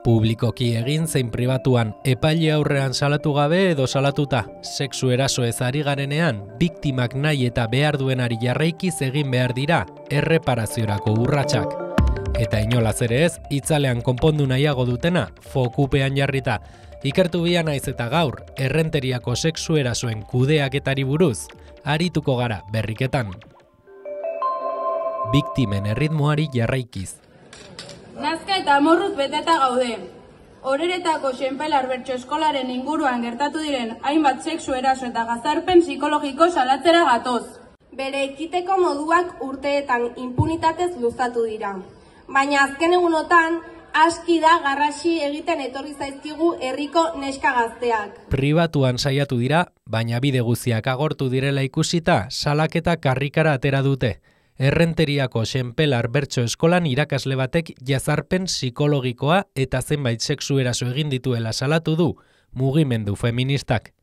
Publikoki egin zein pribatuan epaile aurrean salatu gabe edo salatuta, sexu erasoez ari garenean, biktimak nahi eta behar duenari jarraikiz egin behar dira erreparaziorako urratsak. Eta inolaz ere ez, itzalean konpondu nahiago dutena, fokupean jarrita. Ikertu bia naiz eta gaur, errenteriako sexu erasoen kudeaketari buruz, arituko gara berriketan. Biktimen erritmoari jarraikiz. Nazka eta amorruz beteta gaude. Horeretako Xenpelar Bertso Eskolaren inguruan gertatu diren hainbat sexu eraso eta gazarpen psikologiko salatzera gatoz. Bere ekiteko moduak urteetan impunitatez luzatu dira. Baina azken egunotan, aski da garrasi egiten etorri zaizkigu herriko neska gazteak. Pribatuan saiatu dira, baina bide guztiak agortu direla ikusita, salaketa karrikara atera dute. Errenteriako Xenpelar Bertso Eskolan irakasle batek jazarpen psikologikoa eta zenbait sexu eraso egin dituela salatu du mugimendu feministak.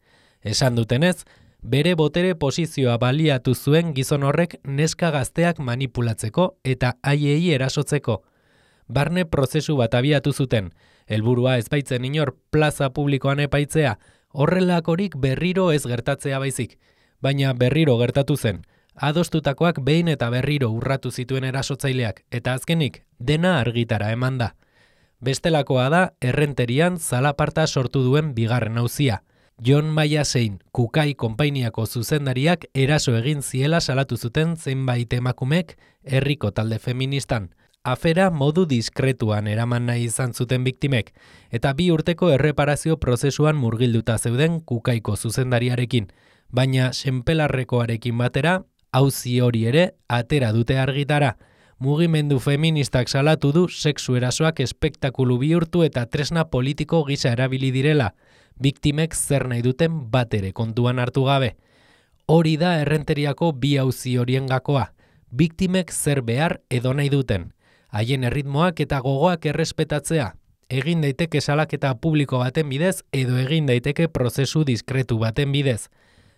Esan dutenez, bere botere posizioa baliatu zuen gizon horrek neska gazteak manipulatzeko eta haiei erasotzeko. Barne prozesu bat abiatu zuten, helburua ez baitzen inor plaza publikoan epaitzea, horrelakorik berriro ez gertatzea baizik, baina berriro gertatu zen. Adostutakoak behin eta berriro urratu zituen erasotzaileak, eta azkenik dena argitara eman da. Bestelakoa da Errenterian zalaparta sortu duen bigarren auzia. Jon Maiasein, Kukai konpainiako zuzendariak eraso egin ziela salatu zuten zenbait emakumek herriko talde feministan. Afera modu diskretuan eraman nahi izan zuten biktimek, eta 2 urteko erreparazio prozesuan murgilduta zeuden Kukaiko zuzendariarekin, baina Xenpelarrekoarekin batera, auzi hori ere atera dute argitara. Mugimendu feministak salatu du sexu erasoak espektakulu bihurtu eta tresna politiko gisa erabili direla, biktimek zer nahi duten batere kontuan hartu gabe. Hori da Errenteriako 2 auzi horien gakoa, biktimek zer behar edo nahi duten. Haien erritmoak eta gogoak errespetatzea. Egin daiteke salaketa publiko baten bidez edo egin daiteke prozesu diskretu baten bidez.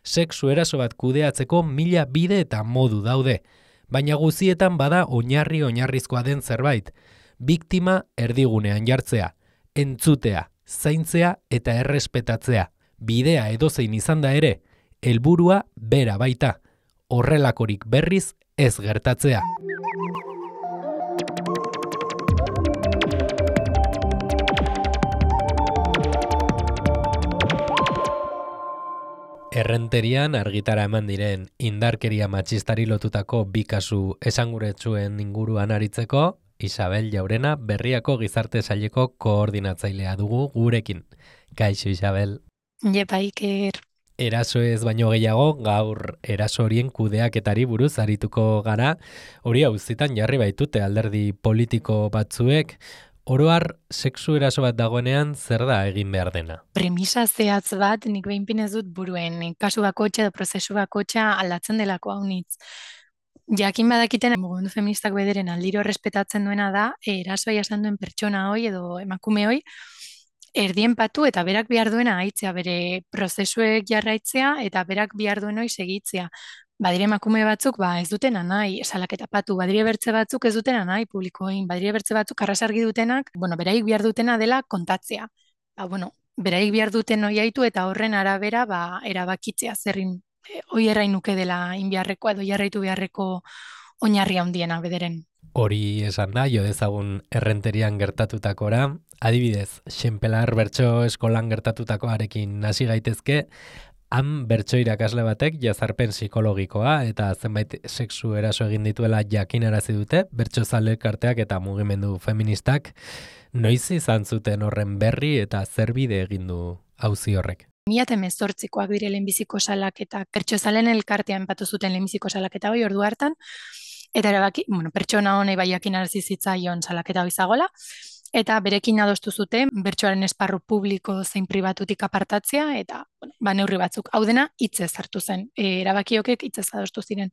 Sexu eraso bat kudeatzeko 1000 bide eta modu daude, baina guzietan bada oinarrizkoa den zerbait. Biktima erdigunean jartzea, entzutea, zaintzea eta errespetatzea. Bidea edozein izan da ere, helburua bera baita. Horrelakorik berriz ez gertatzea. Errenterian argitara eman diren indarkeria matxistari lotutako 2 kasu esanguretsuen inguruan aritzeko, Isabel Jaurena Berriako Gizarte Saileko koordinatzailea dugu gurekin. Kaixo Isabel. Jepa Iker. Eraso ez baino gehiago, gaur eraso horien kudeaketari buruz arituko gara. Hori auzitan jarri baitute alderdi politiko batzuek. Oro har, sexu eraso bat dagoenean zer da egin behar dena? Premisa zehatz bat nik behinpin ez dut buruen, kasu bakotxa edo prozesu bakotxa aldatzen delako haunitz. Jakin badakiten mugimendu feministak bederen aldiro respetatzen duena da, erasoa jasan duen pertsona hoi edo emakume hoi, erdien patu eta berak behar duena haitzea, bere prozesuek jarraitzea eta berak behar duen hoi segitzea. Badire emakume batzuk ez dutena nahi salaketa patu, badire bertze batzuk ez dutena nahi publikoin, badire bertze batzuk arrasargi dutenak, beraik behar dutena dela kontatzea. Beraik behar duten hoi haitu eta horren arabera erabakitzea zerrin hoi errain nuke dela inbiarrekoa edo jarraitu beharreko oinarri handiena bederen. Hori esan da, jo dezagun Errenterian gertatutakoa, adibidez, Xenpelar Bertso Eskolan gertatutakoarekin hasi gaitezke. Han bertso irakasle batek jazarpen psikologikoa eta zenbait sexu eraso egin dituela jakinarazi dute, bertsozale elkarteak eta mugimendu feministak. Noiz izan zuten horren berri eta zer bide egin du auzi horrek? 2018koak dire lehenbiziko salaketak, bertsozalen elkartean patu zuten lehenbiziko salaketa hori ordu hartan, eta erabaki, pertsona honei bai jakinarazi zitzaion salaketa hori zagola, eta berekin adostu zuten bertsoaren esparru publiko zein pribatutik apartatzea eta neurri batzuk. Hau dena hitzez hartu zen. Erabakiokek hitzez adostu ziren.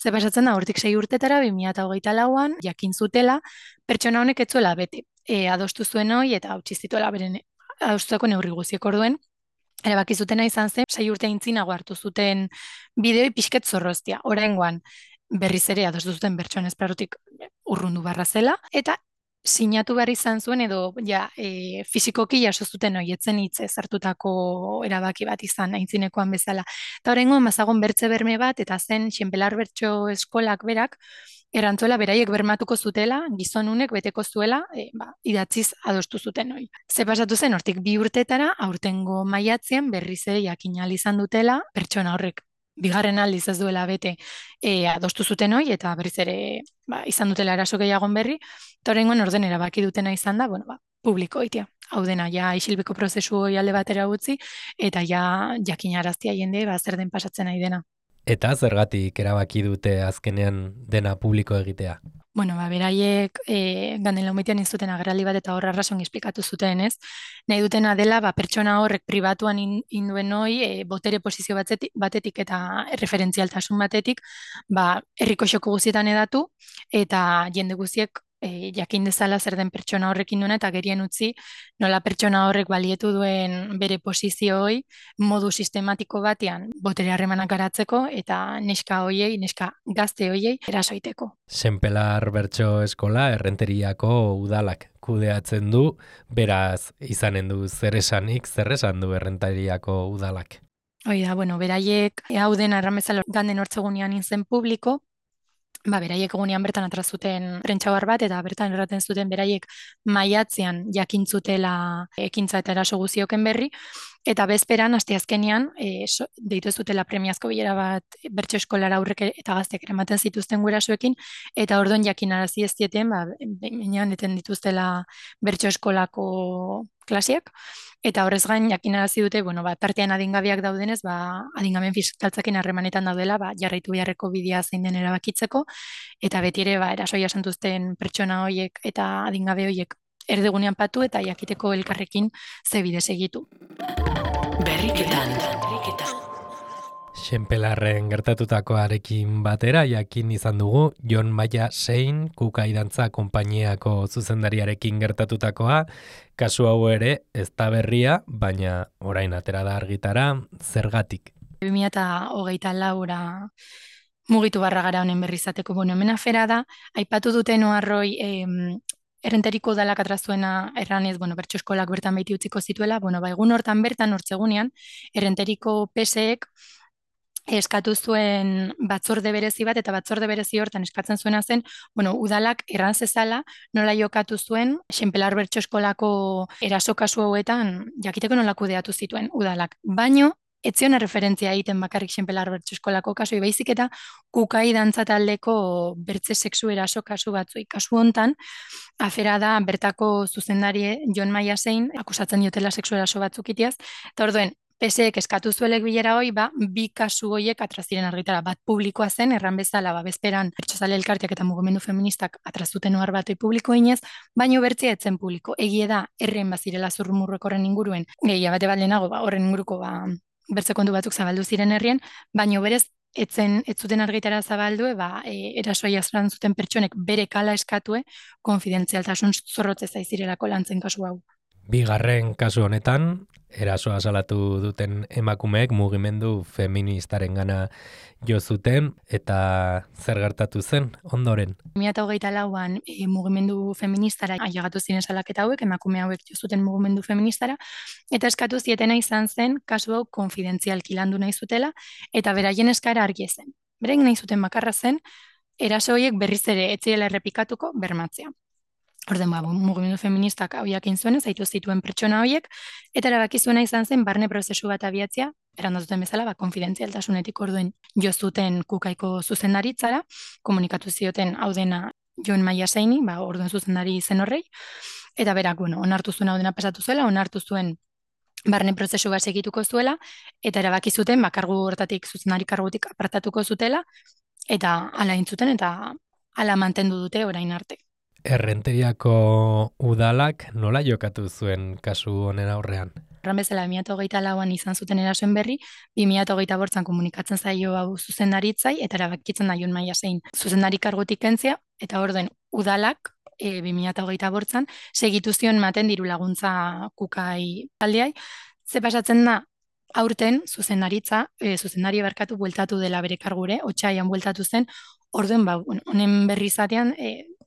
Ze pasatzen da hortik 6 urtetara 2024an jakin zutela pertsona honek ez zuela bete. Adostu zuen hori eta hautsi zituela beren adostutako neurri guztiek orduen. Erabaki zutena izan zen 6 urte aintzinago hartu zuten bideoi pixket zorroztia. Oraingoan berriz ere adostu zuten bertsoaren esparrutik urrundu barra zela eta sinatu behar izan zuen edo fisikoki jaso zuten hoietzen hitzez hartutako erabaki bat izan aintzinekoan bezala. Eta horrengoan mazagon bertze berme bat eta zen Xenpelar Bertso Eskolak berak erantzuela beraiek bermatuko zutela, gizonunek beteko zuela, idatziz adostu zuten hori. Ze pasatu zen, hortik 2 urtetara, aurtengo maiatzean berriz ere jakin ahal izan dutela, pertsona horrek bigarren aldiz ez duela bete adostu zuten hori, eta berriz ere izan dutela eraso gehiagon berri, eta horrengoan orden erabaki dutena izan da, publiko egitea. Hau dena, ja isilbeko prozesu hori alde batera utzi, eta ja jakinaraztia jende, zer den pasatzen nahi dena. Eta zergatik erabaki dute azkenean dena publiko egitea? Beraiek ganden laumetean izuten agerraldi bat eta horra arrason esplikatu zuten, ez? Nahi dutena dela, pertsona horrek pribatuan induen hoi, botere posizio batetik eta referentzialtasun batetik, herriko xoko guztietan edatu, eta jende guztiek jakin dezala zer den pertsona horrekin duena, eta gerien utzi nola pertsona horrek balietu duen bere posizio hoi, modu sistematiko batean botere harremanak garatzeko, eta neska gazte hoiei erasoiteko. Xenpelar Bertso Eskola Errenteriako udalak kudeatzen du, beraz izanen du zer esan du Errenteriako udalak? Hoi da, beraiek hau den arramezalo ganden hortzegunean inzen publiko, beraiek egunean bertan atrazuten prentxabar bat, eta bertan erraten zuten beraiek maiatzean jakintzutela ekintza eta eraso guzioken berri, eta bezperan, asteazkenean, deitu zutela premiazko bilera bat Bertso Eskolara aurrek eta gazteak eramaten zituzten gurasoekin, eta orduan jakinarazi ez dieten, benean eten dituztela Bertso Eskolako klaseak, eta horrez gain jakinarazi dute, tartean adingabeak daudenez, adingaben fiskaltzakin harremanetan daudela, jarraitu beharreko bidea zein den erabakitzeko, eta beti ere, erasoia santuzten pertsona horiek eta adingabe horiek erdigunean patu eta jakiteko elkarrekin ze bide segitu. Berriketan. Xenpelarren gertatutakoarekin batera jakin izan dugu Jon Maia Sein Kukai Dantza konpainiako zuzendariarekin gertatutakoa, kasu hau ere ez da berria, baina orain atera da argitara, zergatik? 2024 mugitu barra gara honen berri izateko, hemen afera da, aipatu duten oharroi Errenteriko udalak atrazuena erranez, Bertso Eskolak bertan baiti utziko zituela, egun hortan bertan hortzegunean, Errenteriko PSek eskatu zuen batzorde berezi bat, eta batzorde berezi hortan eskatzen zuena zen, udalak erran zezala nola jokatu zuen Xenpelar Bertso Eskolako eraso kasu hauetan jakiteko nola kudeatu zituen udalak. Baino, ez zion referentzia egiten bakarrik Xenpelar Bertso Eskolako kasui, baizik eta Kukai Dantza taldeko bertze sexu eraso kasu batzui. Kasu hontan, afera da bertako zuzendari Jon Maia Sein akusatzen diotela sexu eraso batzuk itiaz, eta orduen, PSek eskatu zuelek bilera hoi, bi kasu hoiek atraziren argitara. Bat publikoa zen, erran bezala, bezperan Bertsozale Elkarteak eta mugimendu feministak atrazuten ohar batoi publiko inez, baino bertzea etzen publiko. Egie da, erren bazirela zurrumurrek horren inguruen, gehia bate bat lehenago, horren inguruko bertze kontu batzuk zabaldu ziren herrien, baino berez, ez zuten argitara zabaldu, erasoa jazran zuten pertsonek bere kala eskatue, konfidentzialtasun zorrotze zaizirelako lantzen kasu hau. Bigarren kasu honetan, erasoa salatu duten emakumeek mugimendu feministarengana jo zuten, eta zer gertatu zen ondoren? 2024an mugimendu feministara ailegatu ziren salaketa hauek, emakume hauek jo zuten mugimendu feministara, eta eskatu zietena izan zen kasu hau konfidentzialki landu nahi zutela, eta beraien eskara argi zen. Beraien nahi zuten bakarra zen, eraso horiek berriz ere ez zirela errepikatuko bermatzea. Orden, mugimendu feministak hau jakin zuen, zaitu zituen pertsona horiek, eta erabaki zuena izan zen barne prozesu bat abiatzea, erandazuten bezala, konfidentzialtasunetik orduen jo zuten Kukaiko zuzendaritzara, komunikatu zioten hau dena Jon Maia Seini, orduen zuzendari zen horrei, eta berak, onartu zuen hau dena pasatu zuela, onartu zuen barne prozesu bat segituko zuela, eta erabaki zuten, kargu hortatik zuzendari kargutik apartatuko zutela, eta hala intzuten, eta hala mantendu dute orain arte. Errenteriako udalak nola jokatu zuen kasu honen aurrean? Horren bezala, 2024an izan zuten erasoen berri, 2025an komunikatzen zaio hau zuzendaritzai, eta erabakitzen da Jon Maia Sein zuzendari kargutik kentzea, eta orduen udalak 2025an segitu zion maten diru laguntza Kukai taldeai. Ze pasatzen da, aurten zuzendari barkatu bueltatu dela bere kargure, otsaian bueltatu zen, orduen, honen berri izatean,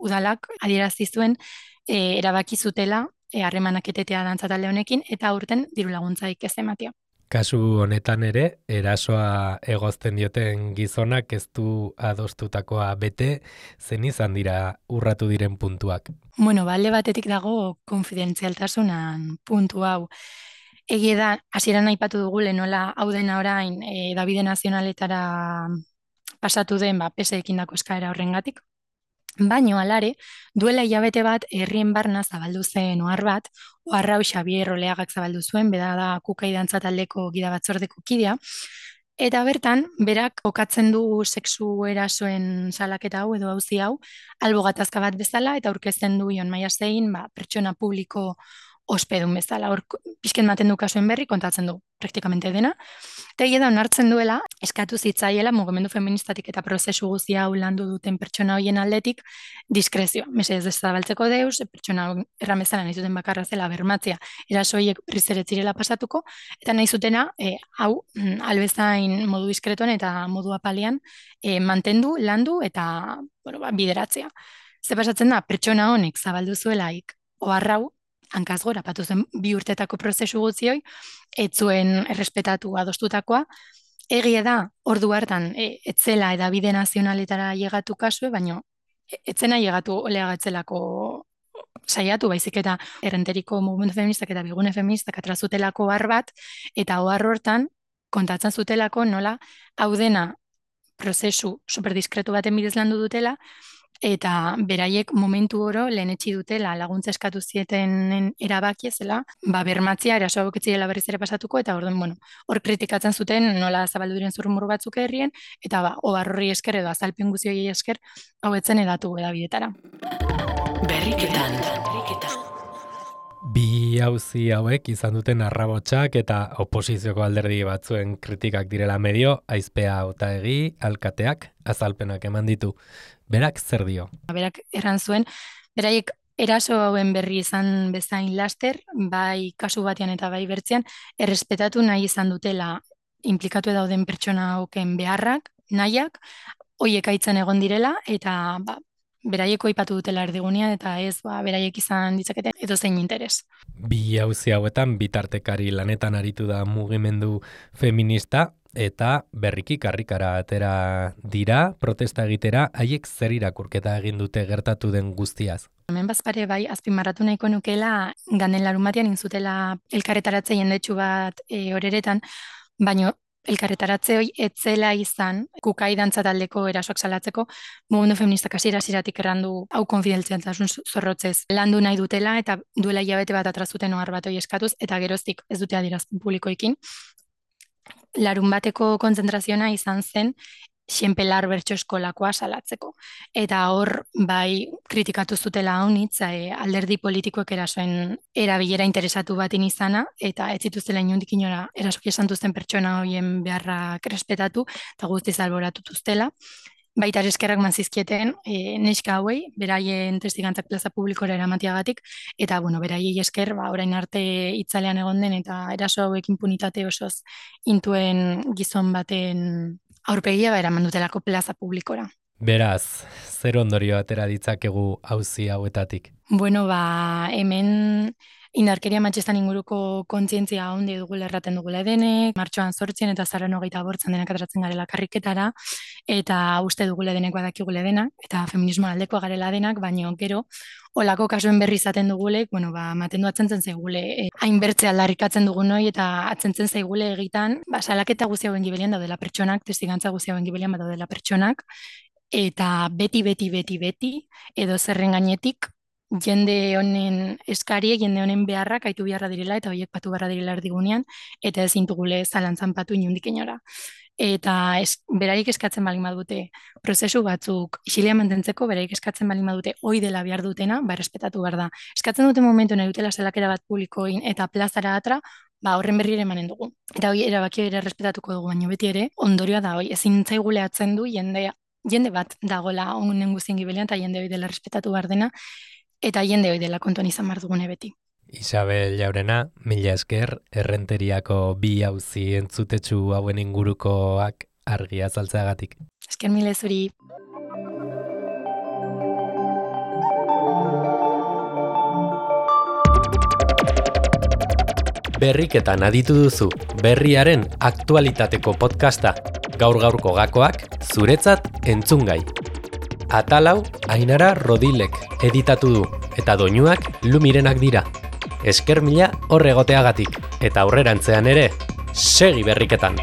udalak adierazi zuen erabaki zutela harremanak etetea dantza talde honekin eta aurten diru laguntzaik ez ematea. Kasu honetan ere, erasoa egozten dioten gizonak ez du adostutakoa bete, zen izan dira urratu diren puntuak. Bueno, alde batetik dago konfidentzialtasunan puntu hau. Egia da, hasieran aipatu dugu nola hau dena orain Dabide Nazionaletara pasatu den PSekin dako eskaera horrengatik. Baino alare, duela hilabete bat herrien barna zabaldu zen ohar bat, ohar hau Xabier Oleagak zabaldu zuen, bera da Kukai dantza taldeko gida batzordeko kidea, eta bertan, berak kokatzen du sexu erasoen salaketa hau edo auzi hau, albo gatazka bat bezala, eta aurkezten du Jon Maiasein, pertsona publiko ospedun bezala. Hor, pixken maten du kasuen berri, kontatzen du praktikamente dena. Eta egia da, onartzen duela, eskatu zitzaiela mugimendu feministatik eta prozesu guztia hau landu duten pertsona hoien aldetik, diskrezioa. Mesedez ez zabaltzeko deus, pertsona erramezala nahi zuten bakarra zela bermatzea, erasoiek berriz ere zirela pasatuko, eta nahi zutena, hau, albezain modu diskretoan eta modu apalean, mantendu, landu eta bideratzea. Ze pasatzen da, pertsona honek zabaldu zuelaik, oharrau, hankaz gora, patu zen 2 urtetako prozesu gutzioi, ez zuen errespetatu adostutakoa, egia da, ordu hartan, etzela Dabide Nazionaletara llegatu kasue, baina etzena llegatu Oleaga etzelako saiatu, baizik eta errenteriko mugimendu feministak eta bigune feministak atrazutelako ohar bat, eta ohar hortan kontatzen zutelako nola hau dena prozesu superdiskretu baten bidez landu dutela, eta beraiek momentu oro lehenetsi dutela laguntza eskatu zietenen erabaki ezela, bermatzia eraso hauek ez zirela berriz ere pasatuko, eta orduan, hor kritikatzen zuten nola zabaldu diren zurrumur batzuk herrien, eta ohar horri esker edo azalpen guztioi esker hau etzen edatu edabidetara. Berriketan. Bi auzi hauek izan duten arrabotsak eta oposizioko alderdi batzuen kritikak direla medio, Aizpea Otaegi, alkateak, azalpenak eman ditu. Berak zer dio? Berak erran zuen, beraiek eraso hauen berri izan bezain laster, bai kasu batean eta bai bertzean, errespetatu nahi izan dutela implikatu dauden pertsona hauken beharrak, nahiak, hoiek aitzen egon direla, eta beraieko aipatu dutela erdigunean, eta ez beraiek izan ditzaketen edozein interes. Bi auzi hauetan bitartekari lanetan aritu da mugimendu feminista, eta berriki karrikara atera dira, protesta egitera, haiek zer irakurketa egin dute gertatu den guztiaz? Hemen bazpare bai, azpimarratu nahiko nukela, ganden larun batean inzutela elkarretaratze jendetsu bat horeretan, baino elkarretaratze hoi etzela izan Kukai dantza taldeko erasoak salatzeko mugimendu feministak hasieratik errandu hau konfidentzialtasun zorrotzez landu nahi dutela eta duela hilabete bat atrazuten ohar bat hoi eskatuz eta geroztik ez dute adierazpen publikoekin. Larun bateko kontzentrazioa izan zen Xenpelar bertso eskolakoa salatzeko. Eta hor, bai, kritikatu zutela haunitz, alderdi politikoek erasoen erabilera interesatu batin izana, eta ez zituztela inondik inora erasoki esan duzten pertsona horien beharrak respetatu, eta guztiz alboratutuztela. Baita eskerrak manzizkieten neska hauei, beraien testigantzak plaza publikora eramatiagatik, eta beraiei esker, orain arte itzalean egon den, eta eraso hauek impunitate osoz intuen gizon baten aurpegia eraman dutelako plaza publikora. Beraz, zer ondorio atera ditzakegu auzi hauetatik? Hemen indarkeria matxistan inguruko kontzientzia handi dugula erraten dugula denek, martxoan 8 eta azaroan 28 denak ateratzen garela karriketara, eta uste dugule denek badakigule denak, eta feminismo aldekoa garela denak, baina gero, olako kasuen berri izaten dugulek, maten du atzentzen zaigule, hainbertze aldarrikatzen dugun hori, eta atzentzen zaigule egitan, salaketa guzti hauen gibelian daudela pertsonak, testigantza guzti hauen gibelian daudela pertsonak, eta beti, edo zerren gainetik, jende honen eskariek, jende honen beharrak aitu beharra direla, eta horiek patu beharra direla erdigunean, eta ez intugule zalantzan patu inundik inora. Eta beraik eskatzen balin badute prozesu batzuk isilean mantentzeko, beraik eskatzen balin badute hoi dela behar dutena, errespetatu behar da. Eskatzen dute momentu nahi dutela salaketa bat publikoin eta plazara atra, horren berri ere emanen dugu. Eta hoi erabaki ere errespetatuko dugu, baina beti ere, ondorioa da hoi, ezin zaigule atzen du jende bat dagola onen guztien gibelian, eta jende hoi dela errespetatu behar dena, eta jende hoi dela kontuan izan behar dugune beti. Isabel Jaurena, mila esker, errenteriako bi auzi entzutetsu hauen ingurukoak argi azaltzeagatik. Esker mila zuri. Berriketan aditu duzu berriaren aktualitateko podcasta. Gaur-gaurko gakoak zuretzat entzungai. Atalau Ainara Rodilek editatu du eta doinuak Lumirenak dira. Esker mila hor egoteagatik eta aurrerantzean ere segi berriketan.